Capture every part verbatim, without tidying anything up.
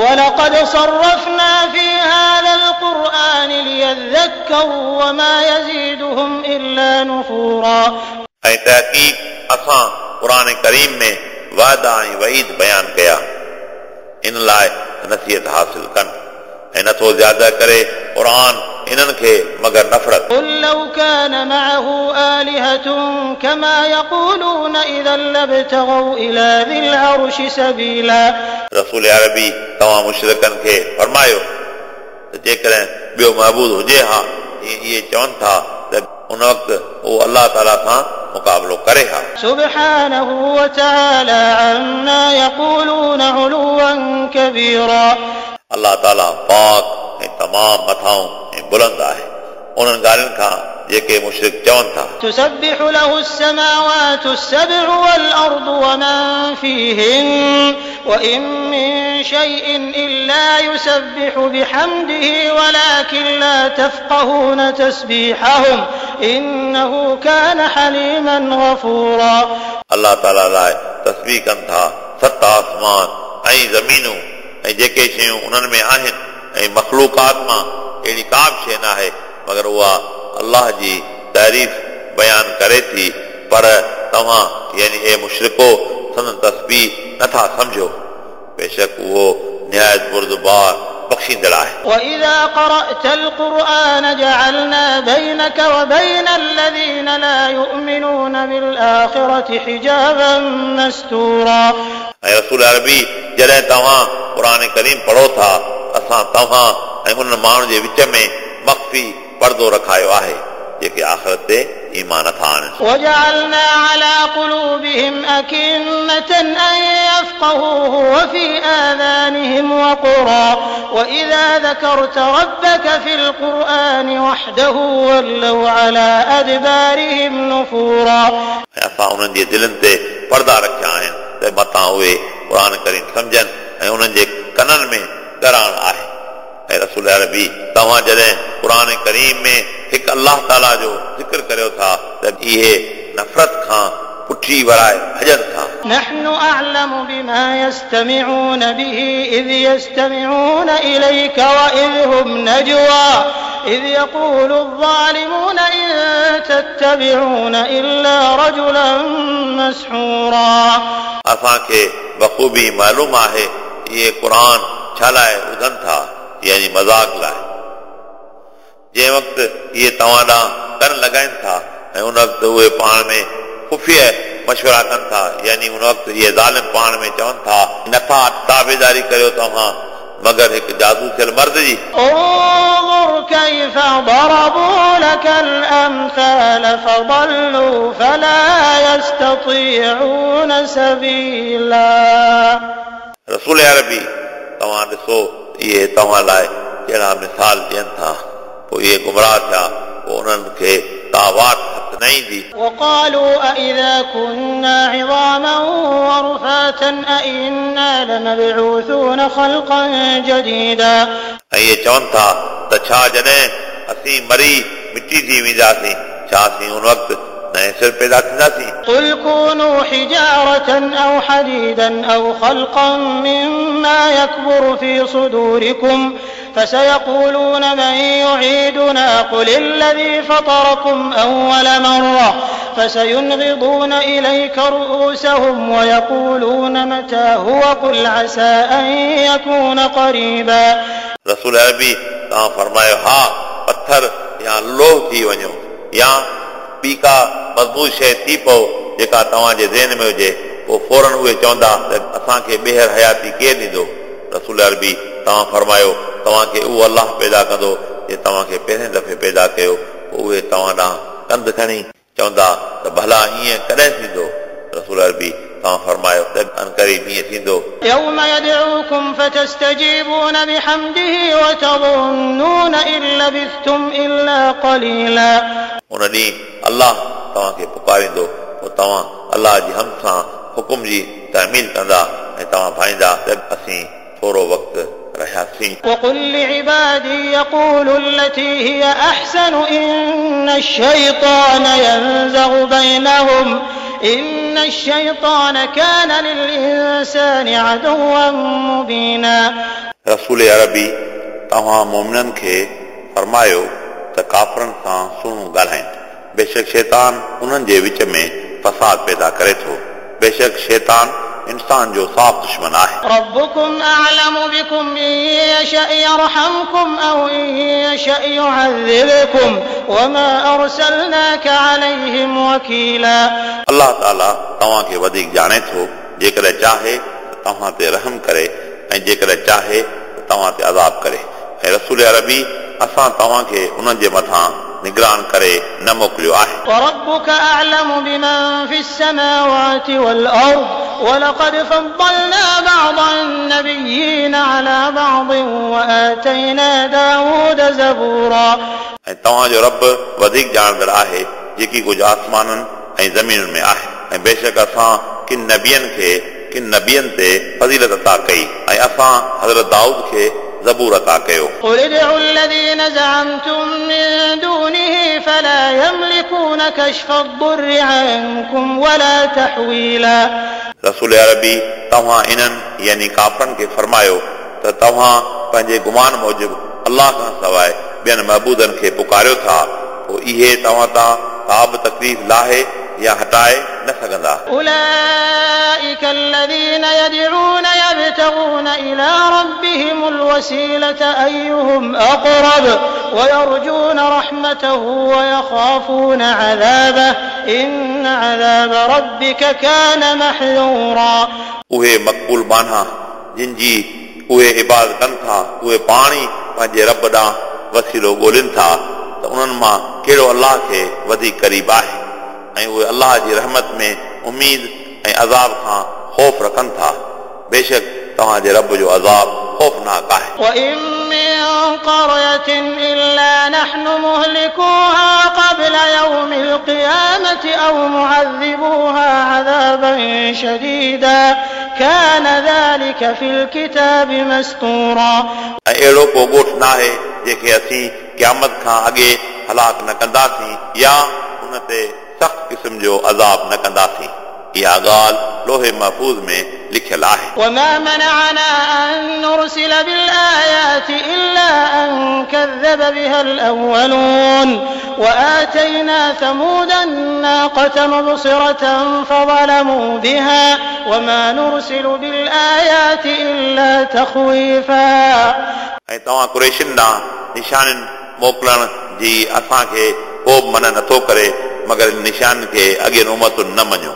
ولقد صرفنا في هذا القرآن ليذكروا وما يزيدهم إلا نفورا. ऐं तहक़ीक़ असां क़ुरान करीम में वादा ऐं वईद बयान कया इन लाइ नसीहत हासिल कनि ऐं नथो ज़्यादा करे क़ुरान इन्हनि खे मगर नफ़रत। قل لو كان معه آلهة كما يقولون إذا لابتغوا إلى ذي العرش سبيلا. रसूल अरबी तव्हां मुशरिकनि खे फरमायो त जेकॾहिं ॿियो महबूद हुजे हा जीअं इहे चवनि था त उन वक़्तु उहो अलाह ताला सां मुक़ाबिलो करे हा। سبحانه وتعالى عما يقولون علوا كبيرا. अलाह ताला पाक ऐं तमामु मथाऊं ऐं बुलंद आहे उन्हनि ॻाल्हियुनि खां जेके मुशरिक चवनि था। تسبح له السماوات السبع والأرض ومن فيهن وإن من شيء إلا يسبح بحمده ولكن لا تفقهون تسبيحهم إنه كان حليما غفورا. अलाह ताला लाइ तस्बीह कनि था सत आसमान ऐं ज़मीनूं ऐं जेके शयूं उन्हनि में आहिनि ऐं मख़लूक़ात मां अहिड़ी का बि शइ न आहे मगर उहा अलाह जी तारीफ़ बयान करे थी, पर तव्हां यानी ए मुशरिको संदन तस्बीह नथा सम्झो। बेशक उहो निहायत बुर्दबार बख़्शींदड़ आहे। وإذا قرأت القرآن جعلنا بينك وبين الذين لا يؤمنون بالآخرة حجابا مستورا. ऐं रसूल अरबी जॾहिं तव्हां क़ुरान करीम पढ़ो था असां तव्हां ऐं उन्हनि माण्हुनि जे विच में मख़फ़ी पर्दो रखायो आहे जेके आख़िरत ते ईमान नथा आणनि। وجعلنا على قلوبهم أكنة أن يفقهوه وفي آذانهم وقرا وإذا ذكرت ربك في القرآن وحده ولوا على أدبارهم نفورا. ऐं असां उन्हनि जे दिलनि ते पर्दा रखिया आहिनि त मतां उहे क़ुरान करीम सम्झनि ऐं उन्हनि जे कननि में ॻराण आहे। ऐं रसूल अरबी तव्हां जॾहिं क़ुरान करीम में हिकु अलाह ताला जो ज़िक्र करियो था त इहे नफ़रत खां पुठी वराए भॼनि था। نحن أعلم بما يستمعون به إذ يستمعون إليك وإذ هم نجوى إذ يقول الظالمون إن تتبعون إلا رجلا مسحورا. असांखे बख़ूबी मालूम आहे इहे क़ुरान छा लाइ ॿुधनि था, यानी मज़ाक लाइ। जंहिं वक़्तु इहे तव्हां ॾांहुं कन लॻाइनि था ऐं उन वक़्तु उहे पाण में ख़ुफ़िया मशवरा कनि था, यानी उन वक़्तु इहे ज़ालिम पाण में चवनि था नथा ताबेदारी करियो तव्हां मगर हिकु जादू थियल मर्द जी। انظر كيف ضربوا لك الأمثال فضلوا فلا يستطيعون سبيلا. रसूल अरबी तव्हां ॾिसो इहे तव्हां लाइ कहिड़ा मिसाल ॾियनि था, पोइ इहे गुमराह थिया, पोइ उन्हनि खे का वाट हथ न ईंदी। وقالوا أإذا كنا عظاما ورفاتا أإنا لمبعوثون خلقا جديدا. ऐं इहे चवनि था त छा जॾहिं असीं मरी मिटी थी वेंदासीं छा असीं उन वक़्तु नए सिर पैदा थींदासीं? قل كونوا حجارة أو حديدا أو خلقا مما يكبر في صدوركم فسيقولون من يعيدنا قل الذي فطركم أول مرة فسينغضون إليك رؤوسهم ويقولون متى هو قل عسى أن يكون قريبا. रसूल अरबी तव्हां फरमायो हा पथर या लोह थी वञो या ॿी का मज़बूत शइ थी पओ जेका तव्हांजे ज़हन में हुजे, पोइ फ़ौरन उहे चवंदा त असांखे ॿीहर हयाती केरु ॾींदो? रसूल अरबी तव्हां फरमायो तव्हांखे उहो अलाह पैदा कंदो जे तव्हांखे पहिरें दफ़े पैदा कयो, पोइ उहे तव्हां ॾांहुं कंध खणी चवंदा त भला ईअं कॾहिं थींदो? रसूल अरबी तव्हां फरमायो त अनकरीब ईअं थींदो। يوم يدعوكم فتستجيبون بحمده وتظنون إن لبثتم إلا قليلا. उन ॾींहुं अलाह तव्हांखे पुकारींदो, पोइ तव्हां अलाह जी हम सां हुकुम जी तामील कंदा ऐं तव्हां भाईंदा त असीं थोरो वक़्तु रहियासीं। وقل لعبادي يقولوا التي هي أحسن إن الشيطان ينزغ بينهم إن الشيطان كان للإنسان عدوا مبينا. रसूल अरबी तव्हां मोमिननि खे फरमायो त काफ़रनि सां सुहिणो ॻाल्हाइनि। बेशक शैतान उन्हनि जे विच में फसाद पैदा करे थो। बेशक शैतान इंसान जो साफ़ दुश्मन आहे। रब्बुकुम अअलमु बिकुम इन यशअ यरहमकुम औ इन यशअ युअज़्ज़िबकुम वमा अरसलनाक अलैहिम वकीला। अल्लाह ताला तव्हांखे वधीक ॼाणे थो, जेकॾहिं चाहे त तव्हां ते रहम करे ऐं जेकॾहिं चाहे त तव्हां ते अज़ाब करे। ऐं रसूल अरबी असां तव्हांखे उन्हनि जे मथां निगरान करे न मोकिलियो आहे। वरब्बुक अअलमु बिमन फिस समावाति वल अर्द वलक़द फ़द्दलना बअदन नबिय्यीन अला बअद वआतैना दाऊद ज़बूरा। ऐं तव्हांजो रब वधीक ॼाणंदड़ आहे जेकी कुझु आसमाननि ऐं ज़मीनुनि में आहे। ऐं बेशक असां किन नबियनि खे किन नबियनि ते फ़ज़ीलत अता कई ऐं असां हज़रत दाऊद खे ज़बूर अता कयो। क़ुल उदउ الذين زعمتم من دونه فلا يملكون كشف الضر عنكم ولا تحويلا। रसूल अरबी तव्हां इन्हनि यानी काफ़रनि खे फरमायो त तव्हां पंहिंजे गुमान मूजिबि अल्लाह खां सवाइ ॿियनि महबूदनि खे पुकारियो था, पोइ इहे तव्हां तां का बि तकलीफ़ लाहे या हटाए न सघंदा। أولئك الذين يدعون يبتغون إلى ربهم الوسيلة أيهم أقرب ويرجون رحمته ويخافون عذابه إن عذاب ربك كان محذورا। उहे मक़बूल बान्हा जिन जी उहे इबादत कनि था, उहे पाण ई पंहिंजे रब ॾांहुं वसीलो ॻोल्हिनि था त उन्हनि मां कहिड़ो अल्लाह खे वधीक क़रीब आहे ऐं उहे अल्लाह जी रहमत में उमीद ऐं अज़ाब खां ख़ौफ़ रखनि था। बेशक तव्हांजे रब जो अज़ाब ख़ौफ़नाक आहे। وإن من قرية إلا نحن مهلكوها قبل يوم القيامة أو معذبوها عذابا شديدا كان ذلك في الكتاب مسطورا। ऐं अहिड़ो को ॻोठ न आहे जंहिंखे असीं क़यामत खां अॻे हलाक न कंदासीं या उन ते सख़्त क़िस्म जो अज़ाब न कंदासीं। इहा ॻाल्हि लोहे महफ़ूज़ में लिखियल आहे। وما منعنا أن نرسل بالآيات إلا أن كذب بها الأولون وآتينا ثمود الناقة مبصرة فظلموا بها وما نرسل بالآيات إلا تخويفا। ऐं तव्हां कुरैशियुनि ॾांहुं निशानियुनि मोकिलण जी असांखे को बि मना नथो करे, मगर निशान खे अॻियनि उमतुनि न मञियो।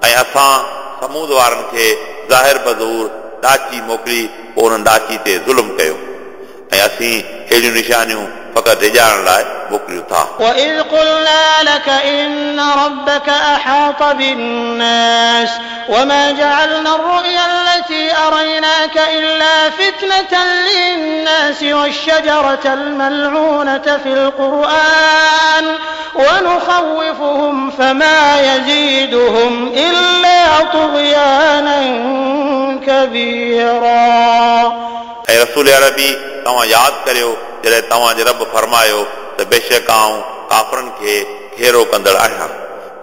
ऐं असां समूद वारनि खे ज़ाहिर बज़ूर ॾाची मोकिली, पोइ उन्हनि ॾाची ते ज़ुल्म कयो। ऐं असीं अहिड़ियूं निशानियूं फ़क़ति डिॼारण लाइ मोकिलियूं था। وإذ قلنا لك إن ربك أحاط بالناس وما جعلنا الرؤيا التي أريناك إلا فتنة للناس والشجرة الملعونة في القرآن ونخوفهم فما يزيدهم إلا طغيانا كبيرا। ऐं रसूल अरबी तव्हां यादि करियो जॾहिं तव्हांजे रब फरमायो त बेशक आउं काफ़रनि खे घेरो कंदड़ आहियां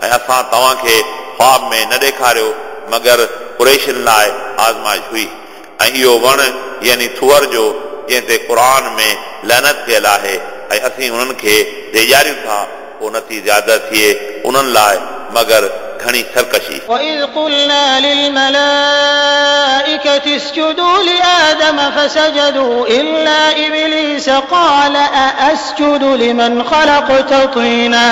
ऐं असां तव्हांखे ख़्वाब में न ॾेखारियो मगर कुरैशियुनि लाइ आज़माइश हुई। ऐं इहो वण यानी थुअर जो जंहिं ते क़ुर में लैनत कयल आहे ऐं असीं उन्हनि खे ॾेजारियूं था, पोइ नथी ज़्यादा थिए उन्हनि लाइ मगर घणी सरकशी। وإذ قلنا للملائكة اسجدوا لآدم فسجدوا إلا إبليس قال أأسجد لمن خلقت طينا।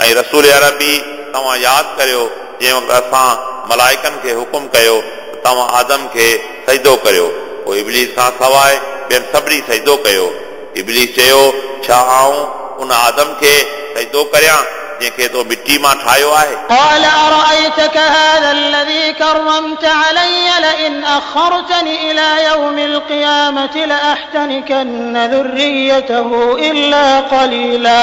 ऐं रसूल अरबी तव्हां यादि करियो जंहिं वक़्तु असां मलाइकनि खे हुकुम कयो त तव्हां आदम खे सजदो करियो, पोइ इबलीस खां सवाइ ॿियनि सभिनी सजदो कयो। इबलीस चयो, छा आउं उन आदम खे सजदो करियां जंहिंखे तो मिटी मां ठाहियो आहे? قال أرأيتك هذا الذي كرمت علي لئن أخرتني إلى يوم القيامة لأحتنكن ذريته إلا قليلا।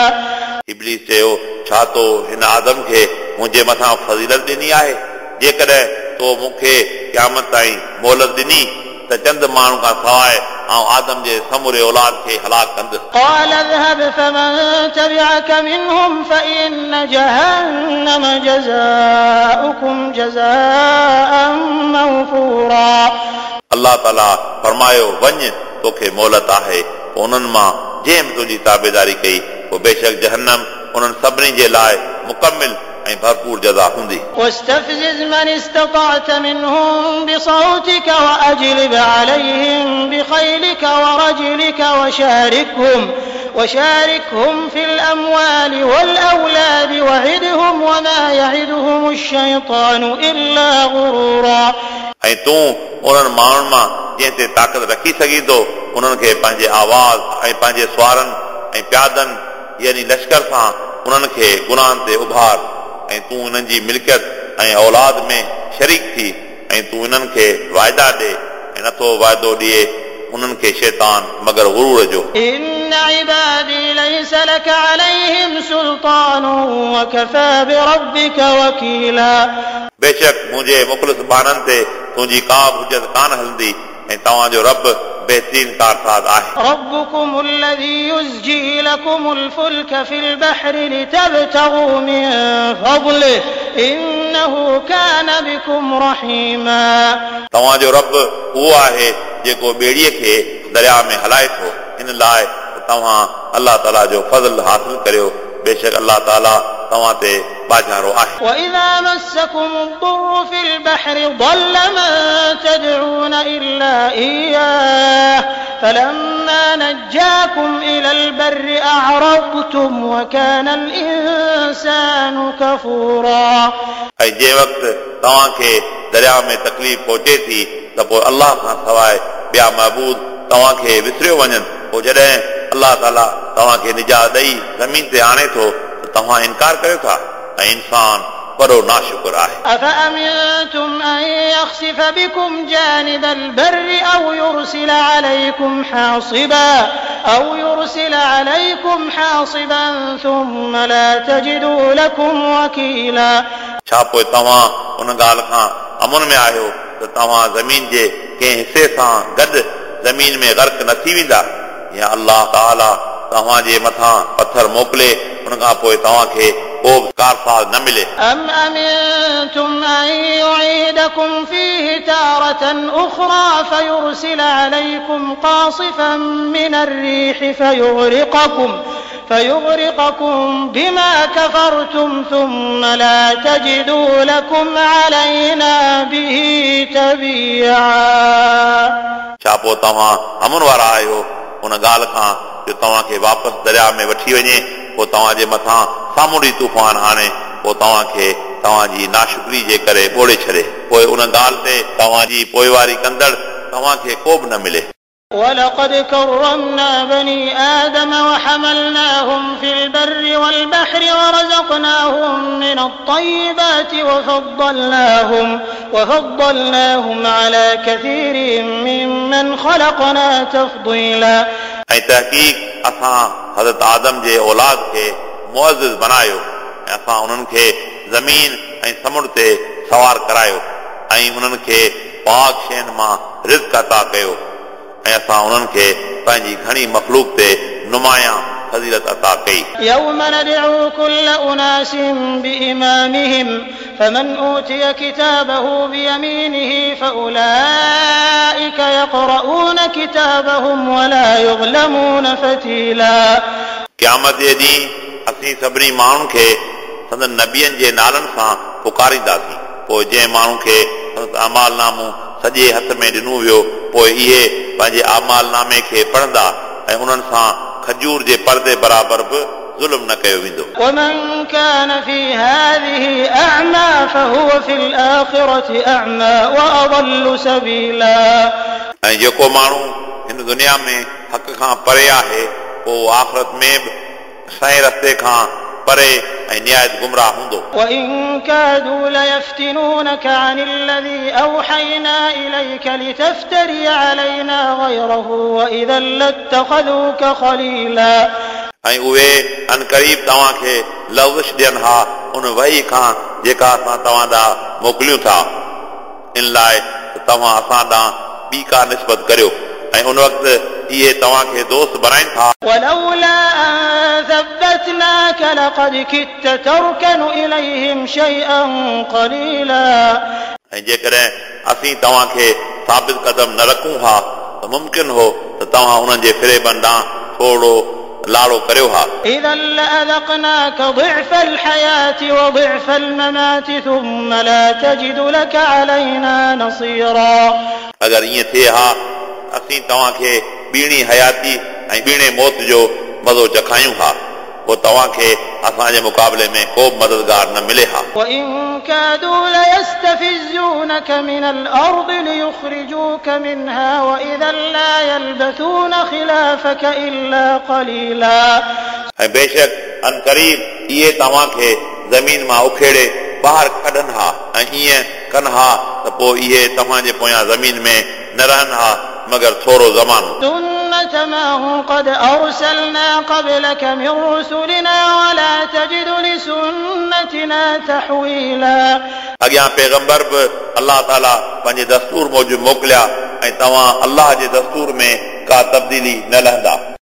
इबलीस चयो, छा तो हिन आदम खे मुंहिंजे मथां फ़ज़ीलत ॾिनी आहे? जेकॾहिं तो मूंखे क़यामत ताईं मोहलत ॾिनी त चंद माण्हू खां सवाइ ऐं आदम जे समूरे औलाद खे हलाक कंदुसि। قال اذهب فمن تبعك منهم فإن جهنم جزاؤكم جزاء موفورا। अल्लाह ताला फरमायो, वञ तोखे मोहलत आहे। पोइ उन्हनि मां जंहिं बि तुंहिंजी ताबेदारी कई पोइ बेशक जहन्नम उन्हनि सभिनी जे लाइ मुकमिल ऐं भरपूर जज़ा हूंदी। واستفزز من استطعت منهم بصوتك وأجلب عليهم بخيلك ورجلك وشاركهم وشاركهم في الأموال والأولاد وعدهم وما يعدهم الشيطان إلا غرورا। ऐं तूं उन्हनि माण्हुनि मां जंहिं ते ताक़त रखी सघीं थो उन्हनि खे पंहिंजे आवाज़ ऐं पंहिंजे सुवारनि ऐं प्यादनि यानी लश्कर सां उन्हनि खे गुनाहनि ते उभार ऐं तूं उन्हनि जी मिल्कियत ऐं औलाद में शरीक थी ऐं तूं इन्हनि खे वाइदा ॾे ऐं नथो वाइदो ॾिए उन्हनि खे शैतान मगर गुरूर जो। إن عبادي ليس لك عليهم سلطان وكفى بربك وكيلا। बेशक मुंहिंजे मुख़लिस ॿारनि ते तुंहिंजी का बि हुजत कान हलंदी ऐं तव्हांजो रब बेहतरीन कारसाज़ आहे। ربكم الذي يزجي لكم الفلك في البحر لتبتغوا من فضله إنه كان بكم رحيما। तव्हांजो रब उहो आहे जेको ॿेड़ीअ खे दरिया में हलाए थो इन लाइ तव्हां अलाह ताला जो फ़ज़ल हासिल करियो, बेशक अलाह ताला तव्हां ते बाजारो आहे। وإذا مسكم الضر في البحر ضل من تدعون إلا إياه فلما نجاكم إلى البر أعرضتم وكان الإنسان كفورا। ऐं जंहिं वक़्तु तव्हांखे दरिया में तकलीफ़ पहुचे थी त पोइ अलाह खां सवाइ ॿिया महबूद तव्हांखे विसरियो वञनि, पोइ जॾहिं अलाह ताला तव्हांखे निजात ॾेई ज़मीन ते आणे थो त तव्हां इनकार करियो था ऐं इंसान वॾो नाशुक्र आहे। أفأمنتم أن يخسف بكم جانب البر أو يرسل عليكم حاصبا أو يرسل عليكم حاصبا ثم لا تجدوا لكم وكيلا। छा पोइ तव्हां उन ॻाल्हि खां अमन में आहियो त तव्हां ज़मीन जे कंहिं हिसे सां गॾु ज़मीन में गर्क न थी वेंदा या अलाह ताला तव्हांजे मथां पथर मोकिले उन खां पोइ तव्हांखे को बि कारसाज़ न मिले। أم أمنتم أن يعيدكم فيه تارة أخرى فيرسل عليكم قاصفا من الريح فيغرقكم فيغرقكم بما كفرتم ثم لا تجدوا لكم علينا به تبيعا। छा पोइ तव्हां अमन वारा आहियो उन ॻाल्हि खां जो तव्हांखे वापसि दरिया में वठी वञे, पोइ तव्हांजे मथां सामुंडी तूफ़ान आणे पोइ तव्हांखे तव्हांजी नाशुक्री जे करे ॿोड़े छॾे, पोइ उन ॻाल्हि ते तव्हांजी पोइवारी कंदड़ तव्हांखे को बि न मिले। ولقد كرمنا بني آدم وحملناهم في البر والبحر ورزقناهم من الطيبات وفضلناهم وفضلناهم على كثير ممن خلقنا تفضيلا। ऐं तहक़ीक़ असां हज़रत आदम जे औलाद खे मुअज़्ज़िज़ बनायो ऐं असां उन्हनि खे ज़मीन ऐं समुंड ते सवार करायो ऐं उन्हनि खे पाक शयुनि मां रिज़्क अता कयो ऐं असां उन्हनि खे पंहिंजी घणी मख़लूक ते नुमायां फ़ज़ीलत अता कई। يوم ندعو كل أناس بإمامهم فمن أوتي كتابه بيمينه فأولئك يقرؤون كتابهم ولا يظلمون فتيلا। क़यामत जे ॾींहुं असीं सभिनी माण्हुनि खे संदन नबियनि जे नालनि सां पुकारींदासीं, पोइ जंहिं माण्हू खे संदसि अमाल नामो सॼे हथ में ॾिनो वियो पोइ इहे पंहिंजे अमाल नामे खे पढ़ंदा ऐं उन्हनि सां खजूर जे परदे बराबरि बि ज़ुल्म न कयो वेंदो। ومن كان في هذه أعمى فهو في الآخرة أعمى وأضل سبيلا। ऐं जेको माण्हू हिन दुनिया में हक़ खां परे आहे पोइ आख़िरत में बि सही रस्ते खां परे ऐं निहायत गुमराह हूंदो। وإن كادوا ليفتنونك عن الذي أوحينا إليك لتفتري علينا غيره وإذا لاتخذوك خليلا। ऐं उहे अनक़रीब तव्हांखे लवज़ ॾियनि हा उन वही खां जेका असां तव्हां ॾांहुं मोकिलियूं था, इन लाइ त तव्हां असां ॾांहुं ॿी का निस्बत करियो ऐं उन वक़्तु इहे तव्हांखे दोस्त बणाइनि था। ولولا أن ثبتناك لقد كدت تركن إليهم شيئا قليلا। ऐं जेकॾहिं असीं तव्हांखे साबित कदम न रखूं हा त त मुमकिन हो त तव्हां उन्हनि जे फ़रेबनि ॾांहुं थोरो लाड़ो करियो हा। إذا لأذقناك ضعف الحياة وضعف الممات ثم لا تجد لك علينا نصيرا। अगरि ईअं थिए हा असीं तव्हांखे ॿीणी हयाती ऐं ॿीणे मौत जो मज़ो चखायूं हा, पोइ तव्हांखे असांजे मुक़ाबले में को बि मददगार न मिले हा। وإن كادوا ليستفزونك من الأرض ليخرجوك منها وإذا لا يلبثون خلافك إلا قليلا। ऐं बेशक अन क़रीब इहे तव्हांखे ज़मीन मां उखेड़े ॿाहिरि कढनि हा ऐं ईअं कनि हा त पोइ इहे तव्हांजे पोयां ज़मीन में न रहनि हा मगर थोरो ज़मानो। سنة من قد أرسلنا قبلك من رسلنا ولا تجد لسنتنا تحويلا। अॻियां पैगंबर बि अलाह ताला पंहिंजे दस्तूर मूजिबि मोकिलिया ऐं तव्हां अलाह जे दस्तूर में का तब्दीली न लहंदा।